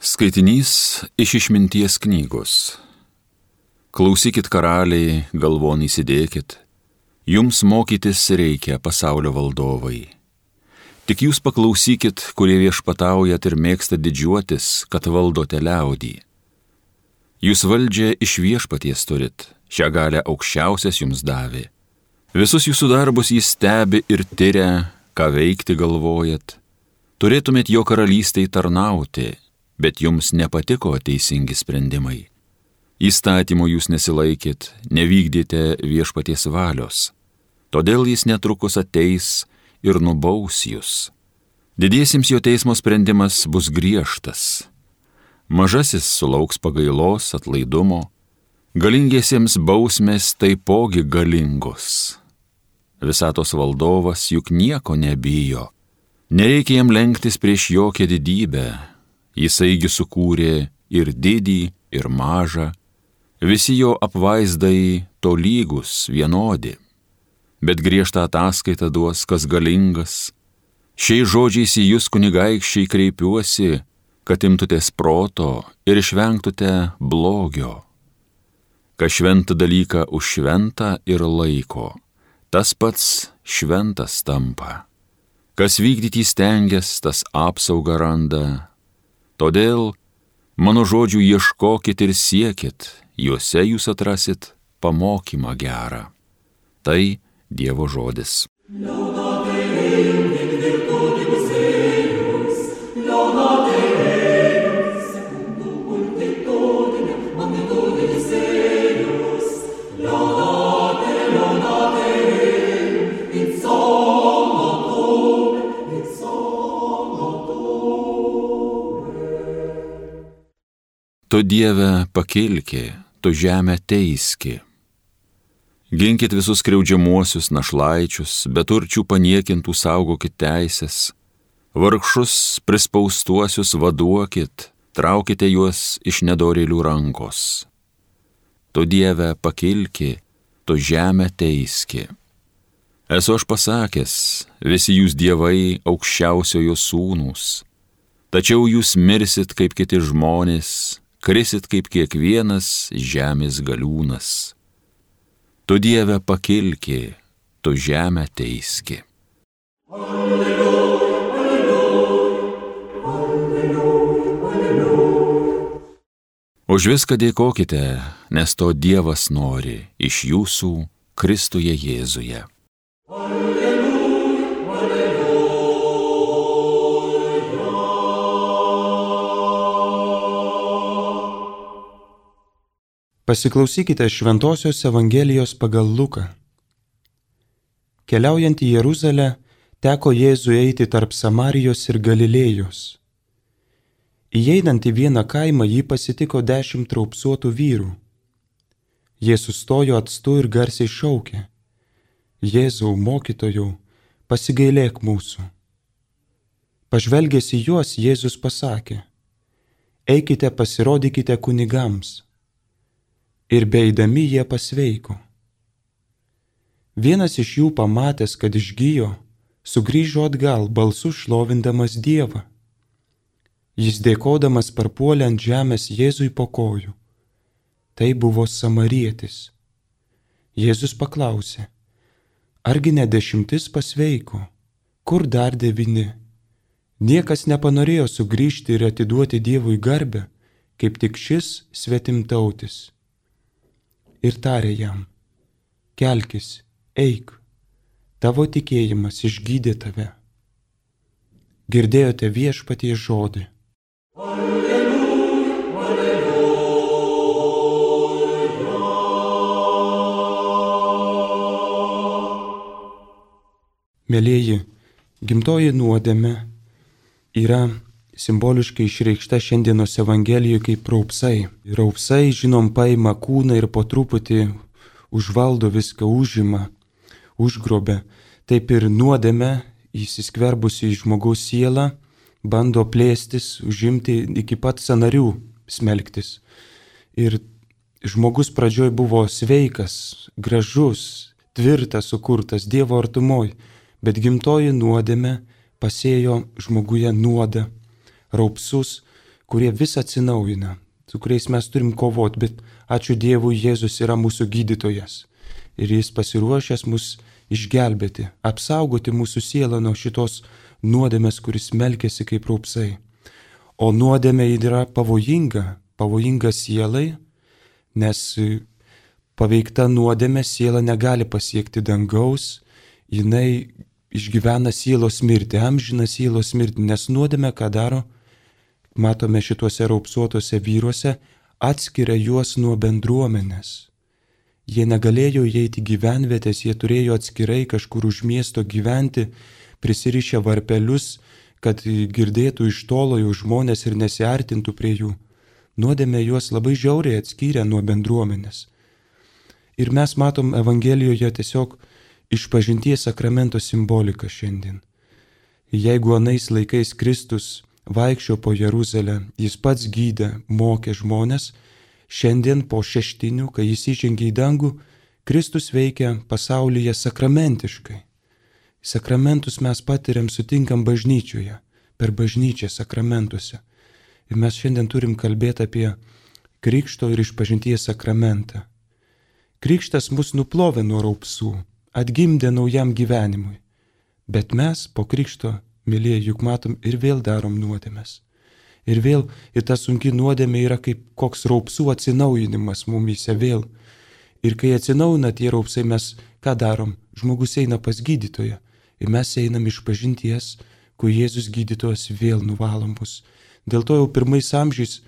Skaitinys iš Išminties knygos. Klausykit, karaliai, galvon įsidėkit, jums mokytis reikia, pasaulio valdovai. Tik jūs paklausykit, kurie viešpataujat ir mėgstat didžiuotis, kad valdote liaudį. Jūs valdžią iš viešpaties turit, šią galią aukščiausias jums davė. Visus jūsų darbus jis stebi ir tyria, ką veikti galvojat. Turėtumėt jo karalystei tarnauti, bet jums nepatiko teisingi sprendimai. Įstatymo jūs nesilaikėt, nevykdėte viešpaties valios. Todėl jis netrukus ateis ir nubaus jūs. Didiesiems jo teismo sprendimas bus griežtas. Mažasis sulauks pagailos, atlaidumo. Galingiesiems bausmės taipogi galingos. Visatos valdovas juk nieko nebijo. Nereikia jam lenktis prieš jokią didybę. Jisaigi sukūrė ir didį, ir mažą. Visi jo apvaizdai tolygus, vienodi. Bet griežtą ataskaitą duos, kas galingas. Šiais žodžiais į jūs, kunigaikščiai, kreipiuosi, kad imtutės proto ir išvengtute blogio. Kas šventą dalyką už šventą ir laiko, tas pats šventas tampa. Kas vykdyti stengias, tas apsaugą randa. Todėl mano žodžių ieškokit ir siekit, juose jūs atrasit pamokymą gerą. Tai Dievo žodis. Tu Dieve pakilki, tu žemę teiski. Ginkit visus skriaudžiamuosius našlaičius, beturčių paniekintų saugokit teisės. Vargšus prispaustuosius vaduokit, traukite juos iš nedorėlių rankos. Tu Dieve pakilki, tu žemę teiski. Esu aš pasakęs, visi jūs dievai aukščiausiojo sūnūs. Tačiau jūs mirsit kaip kiti žmonės, krisit kaip kiekvienas žemės galiūnas. Tu Dieve pakilki, tu žemę teiski. Alleluja, alleluja, alleluja, alleluja. Už viską dėkokite, nes to Dievas nori iš jūsų Kristuje Jėzuje. Pasiklausykite Šventosios Evangelijos pagal Luką. Keliaujant į Jeruzalę, teko Jėzui eiti tarp Samarijos ir Galilėjos. Įeinant į vieną kaimą, jį pasitiko 10 raupsuotų vyrų. Jie sustojo atstu ir garsiai šaukė: Jėzau, mokytojau, pasigailėk mūsų. Pažvelgęs į juos, Jėzus pasakė: eikite, pasirodykite kunigams. Ir beeidami jie pasveiko. Vienas iš jų, pamatęs, kad išgijo, sugrįžo atgal, balsu šlovindamas Dievą. Jis dėkodamas parpuolė ant žemės Jėzui po kojų. Tai buvo samarietis. Jėzus paklausė: argi ne 10 pasveiko, kur dar 9? Niekas nepanorėjo sugrįžti ir atiduoti Dievui garbę, kaip tik šis svetimtautis. Ir tarė jam: kelkis, eik, tavo tikėjimas išgydė tave. Girdėjote Viešpaties žodį. Alleluja, alleluja. Mielieji, gimtoji nuodėmė yra simboliškai išreikšta šiandienos Evangelijoje kaip raupsai. Raupsai, žinom, paima kūną ir po truputį užvaldo viską, užima, užgrobia. Taip ir nuodėmė, įsiskverbusi į žmogaus sielą, bando plėstis, užimti iki pat sąnarių, smelktis. Ir žmogus pradžioj buvo sveikas, gražus, tvirtas, sukurtas Dievo artumoj, bet gimtoji nuodėmė pasėjo žmoguje nuodą, raupsus, kurie vis atsinaujina, su kuriais mes turim kovoti, bet ačiū Dievui, Jėzus yra mūsų gydytojas. Ir jis pasiruošęs mus išgelbėti, apsaugoti mūsų sielą nuo šitos nuodėmės, kuris melkėsi kaip raupsai. O nuodėmė yra pavojinga sielai, nes paveikta nuodėmė siela negali pasiekti dangaus, jinai išgyvena sielos mirtį, amžiną sielos mirtį, nes nuodėmė ką daro, matome šituose raupsuotose vyruose, atskiria juos nuo bendruomenės. Jie negalėjo įeiti gyvenvietės, jie turėjo atskirai kažkur už miesto gyventi, prisirišę varpelius, kad girdėtų iš tolo jų žmonės ir nesiartintų prie jų. Nuodėmė juos labai žiauriai atskyrė nuo bendruomenės. Ir mes matom Evangelijoje tiesiog išpažinties sakramento simboliką šiandien. Jeigu anais laikais Kristus vaikščio po Jeruzalę, jis pats gydė, mokė žmonės, šiandien po šeštinių, kai jis įžengė į dangų, Kristus veikia pasaulyje sakramentiškai. Sakramentus mes patiriam, sutinkam bažnyčioje, per bažnyčią sakramentuose. Ir mes šiandien turim kalbėti apie krikšto ir išpažinties sakramentą. Krikštas mus nuplovė nuo raupsų, atgimdė naujam gyvenimui. Bet mes po krikšto, mylėjai, juk matom ir vėl darom nuodėmes. Ir vėl, ir ta sunki nuodėmė yra kaip koks raupsų atsinaujinimas mumyse vėl. Ir kai atsinaujina tie raupsai, mes ką darom? Žmogus eina pas gydytoją. Ir mes einam išpažinties, kur Jėzus gydytojas vėl nuvalom mus. Dėl to jau pirmais amžiais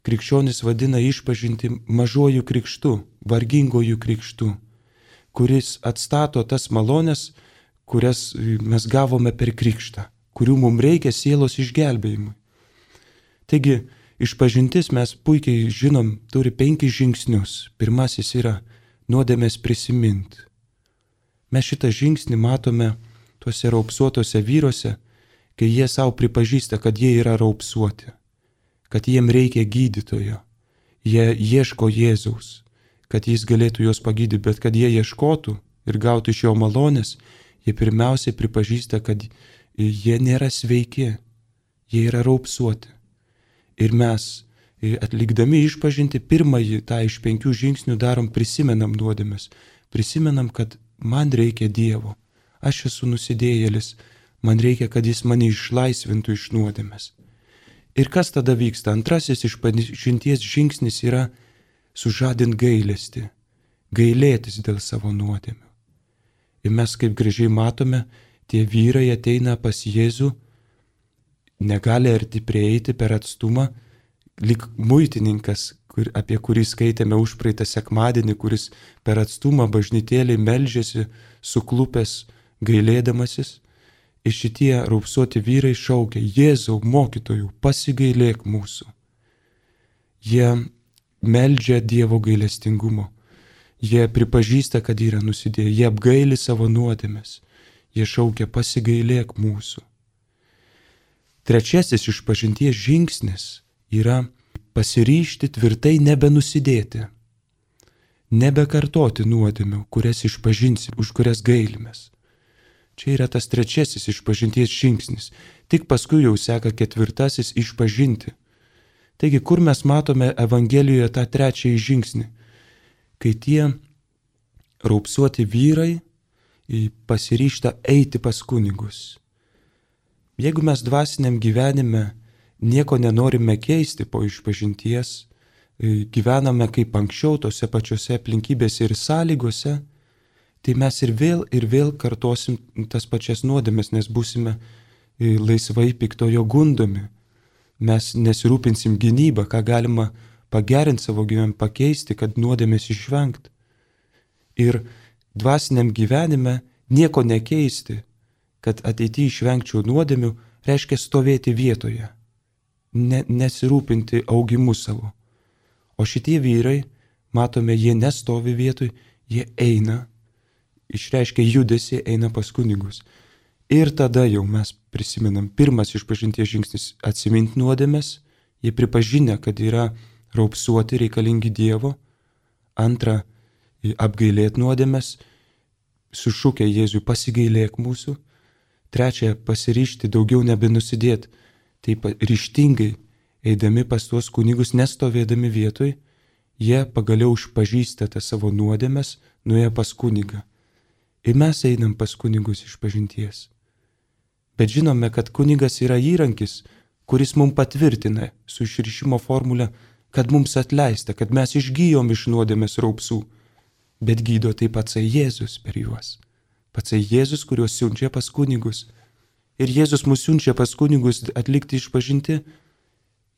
krikščionis vadina išpažinti mažuoju krikštu, vargingojų krikštu, kuris atstato tas malonės, kurias mes gavome per krikštą, kurių mums reikia sielos išgelbėjimui. Taigi, išpažintis mes puikiai žinom, turi 5 žingsnius. Pirmasis yra nuodėmės prisiminti. Mes šitą žingsnį matome tuose raupsuotose vyruose, kai jie savo pripažįsta, kad jie yra raupsuoti, kad jiem reikia gydytojo. Jie ieško Jėzaus, kad jis galėtų juos pagydyti, bet kad jie ieškotų ir gautų iš jo malonės, jie pirmiausiai pripažįsta, kad jie nėra sveiki, jie yra raupsuoti. Ir mes, atlikdami išpažinti, pirmąjį tą iš 5 žingsnių darom, prisimenam nuodėmes. Prisimenam, kad man reikia Dievo. Aš esu nusidėjėlis, man reikia, kad jis mane išlaisvintų iš nuodėmes. Ir kas tada vyksta? Antrasis išpažinties žingsnis yra sužadint gailestį, gailėtis dėl savo nuodėmių. Ir mes, kaip gražiai matome, tie vyrai ateina pas Jėzų, negali arti prieiti per atstumą, lyg muitininkas, apie kurį skaitėme užpraeitą sekmadienį, kuris per atstumą bažnytėlį meldžiasi, suklupęs, gailėdamasis. Ir šitie raupsuoti vyrai šaukia: Jėzau, mokytojų, pasigailėk mūsų. Jie meldžia Dievo gailestingumo. Jie pripažįsta, kad yra nusidėję. Jie apgaili savo nuodėmes. Jie šaukia: pasigailėk mūsų. Trečiasis išpažinties žingsnis yra pasiryžti tvirtai nebenusidėti, nebekartoti nuodėmių, kurias išpažinsim, už kurias gailimės. Čia yra tas trečiasis išpažinties žingsnis. Tik paskui jau seka 4. išpažinti. Taigi, kur mes matome Evangelijoje tą trečiąjį žingsnį? Kai tie raupsuoti vyrai pasiryžta eiti pas kunigus. Jeigu mes dvasiniam gyvenime nieko nenorime keisti po išpažinties, gyvename kaip anksčiau tose pačiose aplinkybėse ir sąlygose, tai mes ir vėl kartosim tas pačias nuodėmes, nes būsime laisvai piktojo gundomi. Mes nesirūpinsim gynybą, ką galima pagerinti savo gyvenimą, pakeisti, kad nuodėmės išvengti. Ir dvasiniam gyvenime nieko nekeisti, kad ateityje išvengčiau nuodėmių, reiškia stovėti vietoje, nesirūpinti augimu savo. O šitie vyrai, matome, jie nestovi vietoj, jie eina, išreiškia judesį, eina pas kunigus. Ir tada jau mes prisimenam, pirmas išpažinties žingsnis - atsiminti nuodėmes, jie pripažinę, kad yra raupsuoti, reikalingi Dievo. Antra, apgailėti nuodėmes, sušūkę Jėzui: pasigailėk mūsų. Trečia, pasiryžti daugiau nebenusidėti, taip ryžtingai eidami pas tuos kunigus, nestovėdami vietoj, jie pagaliau išpažįsta tas savo nuodėmes, nuėję pas kunigą. Ir mes einam pas kunigus išpažinties. Bet žinome, kad kunigas yra įrankis, kuris mums patvirtina su išrišimo formule, kad mums atleista, kad mes išgyjom iš nuodėmės raupsų. Bet gydo taip patsai Jėzus per juos. Patsai Jėzus, kuriuos siunčia pas kunigus. Ir Jėzus mus siunčia pas kunigus atlikti išpažinti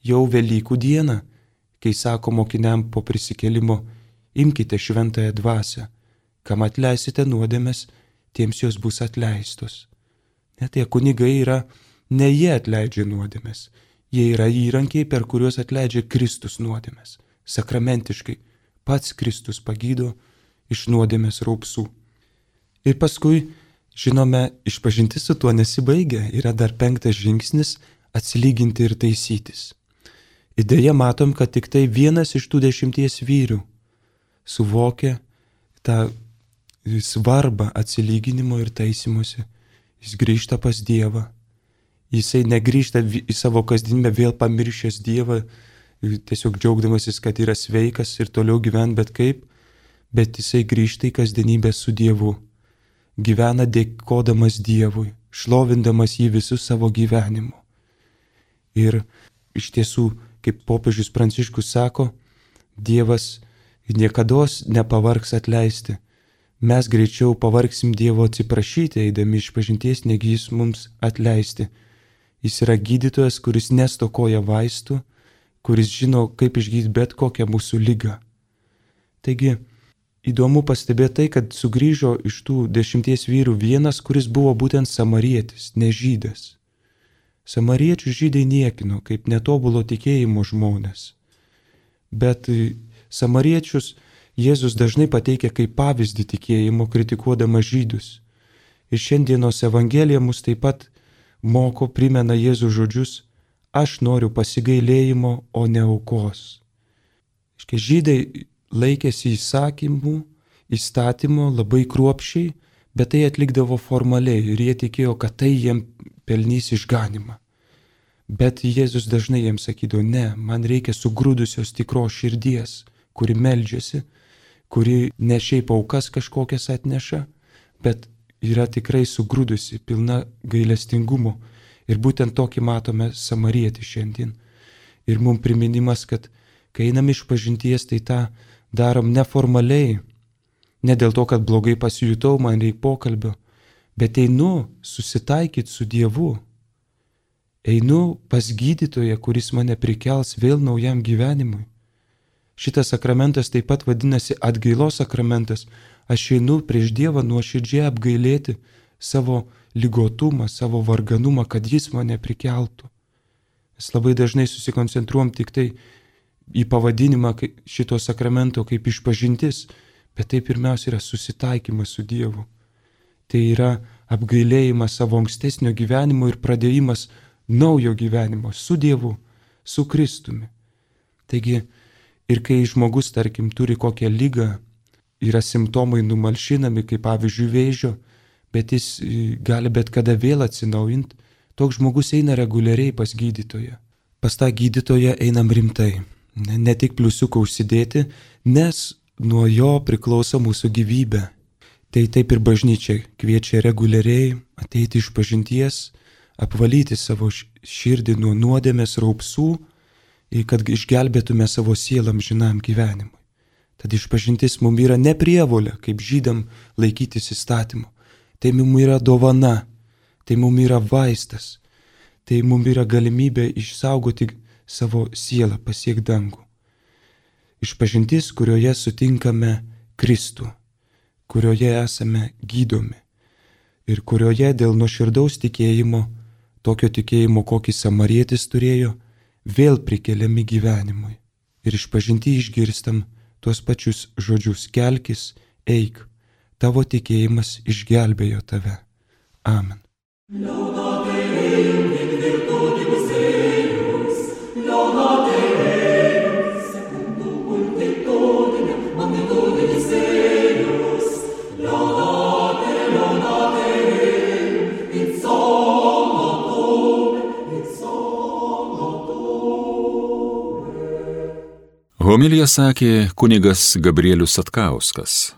jau Velykų dieną, kai sako mokiniam po prisikėlimo, imkite šventąją dvasią, kam atleisite nuodėmes, tiems jos bus atleistos. Net tie kunigai yra, ne jie atleidžia nuodėmes, jie yra įrankiai, per kuriuos atleidžia Kristus nuodėmes. Sakramentiškai pats Kristus pagydo iš nuodėmės raupsų. Ir paskui, žinome, išpažintis su tuo nesibaigia, yra dar 5 žingsnis – atsilyginti ir taisytis. Ir deja matom, kad tik tai 1 iš tų 10 vyrių suvokia tą svarbą atsilyginimo ir taisymuose. Jis grįžta pas Dievą. Jisai negrįžta į savo kasdienybę vėl pamiršęs Dievą, tiesiog džiaugdamasis, kad yra sveikas ir toliau gyvena bet kaip, bet jisai grįžta į kasdienybę su Dievu. Gyvena dėkodamas Dievui, šlovindamas jį visų savo gyvenimu. Ir iš tiesų, kaip popiežius Pranciškus sako, Dievas niekados nepavargs atleisti. Mes greičiau pavargsim Dievo atsiprašyti, eidami išpažinties, negi jis mums atleisti. Jis yra gydytojas, kuris nestokoja vaistų, kuris žino, kaip išgydyti bet kokią mūsų ligą. Taigi, įdomu pastebėti tai, kad sugrįžo iš tų 10 vyrų vienas, kuris buvo būtent samarietis, ne žydas. Samariečių žydai niekino kaip netobulo tikėjimo žmonės. Bet samariečius Jėzus dažnai pateikia kaip pavyzdį tikėjimo, kritikuodamas žydus. Ir šiandienos Evangelija mus taip pat moko, primena Jėzų žodžius: aš noriu pasigailėjimo, o ne aukos. Žydai laikėsi įstatymo labai kruopščiai, bet tai atlikdavo formaliai ir jie tikėjo, kad tai jiem pelnys išganimą. Bet Jėzus dažnai jiems sakydavo: ne, man reikia sugrūdusios tikros širdies, kuri meldžiasi, kuri ne šiaip aukas kažkokias atneša, bet yra tikrai sugrūdusi, pilna gailestingumo. Ir būtent tokį matome samarietį šiandien. Ir mums priminimas, kad kai einam išpažinties, tai tą darom neformaliai, ne dėl to, kad blogai pasijutau, man reikia pokalbio, bet einu susitaikyti su Dievu. Einu pas gydytoją, kuris mane prikels vėl naujam gyvenimui. Šitas sakramentas taip pat vadinasi atgailos sakramentas. Aš einu prieš Dievą nuoširdžiai apgailėti savo ligotumą, savo varganumą, kad jis mane prikeltų. Mes labai dažnai susikoncentruojam tik tai į pavadinimą šito sakramento kaip išpažintis, bet tai pirmiausia yra susitaikymas su Dievu. Tai yra apgailėjimas savo ankstesnio gyvenimo ir pradėjimas naujo gyvenimo su Dievu, su Kristumi. Taigi, ir kai žmogus, tarkim, turi kokią ligą, yra simptomai numalšinami, kaip pavyzdžiui vėžio, bet jis gali bet kada vėl atsinaujinti, toks žmogus eina reguliariai pas gydytoją. Pas tą gydytoją einam rimtai, ne tik pliusiuką užsidėti, nes nuo jo priklauso mūsų gyvybė. Tai taip ir bažnyčia kviečia reguliariai ateiti išpažinties, apvalyti savo širdį nuo nuodėmės raupsų, kad išgelbėtume savo sielą amžinam gyvenimui. Tad išpažintis mums yra ne prievolė, kaip žydam laikytis įstatymo. Tai mums yra dovana, tai mums yra vaistas, tai mums yra galimybė išsaugoti savo sielą, pasiekti dangų. Išpažintis, kurioje sutinkame Kristų, kurioje esame gydomi ir kurioje dėl nuoširdaus tikėjimo, tokio tikėjimo, kokį samarietis turėjo, vėl prikeliami gyvenimui. Ir išpažinti išgirstam tuos pačius žodžius: kelkis, eik, tavo tikėjimas išgelbėjo tave. Amen. Homiliją sakė kunigas Gabrielius Satkauskas,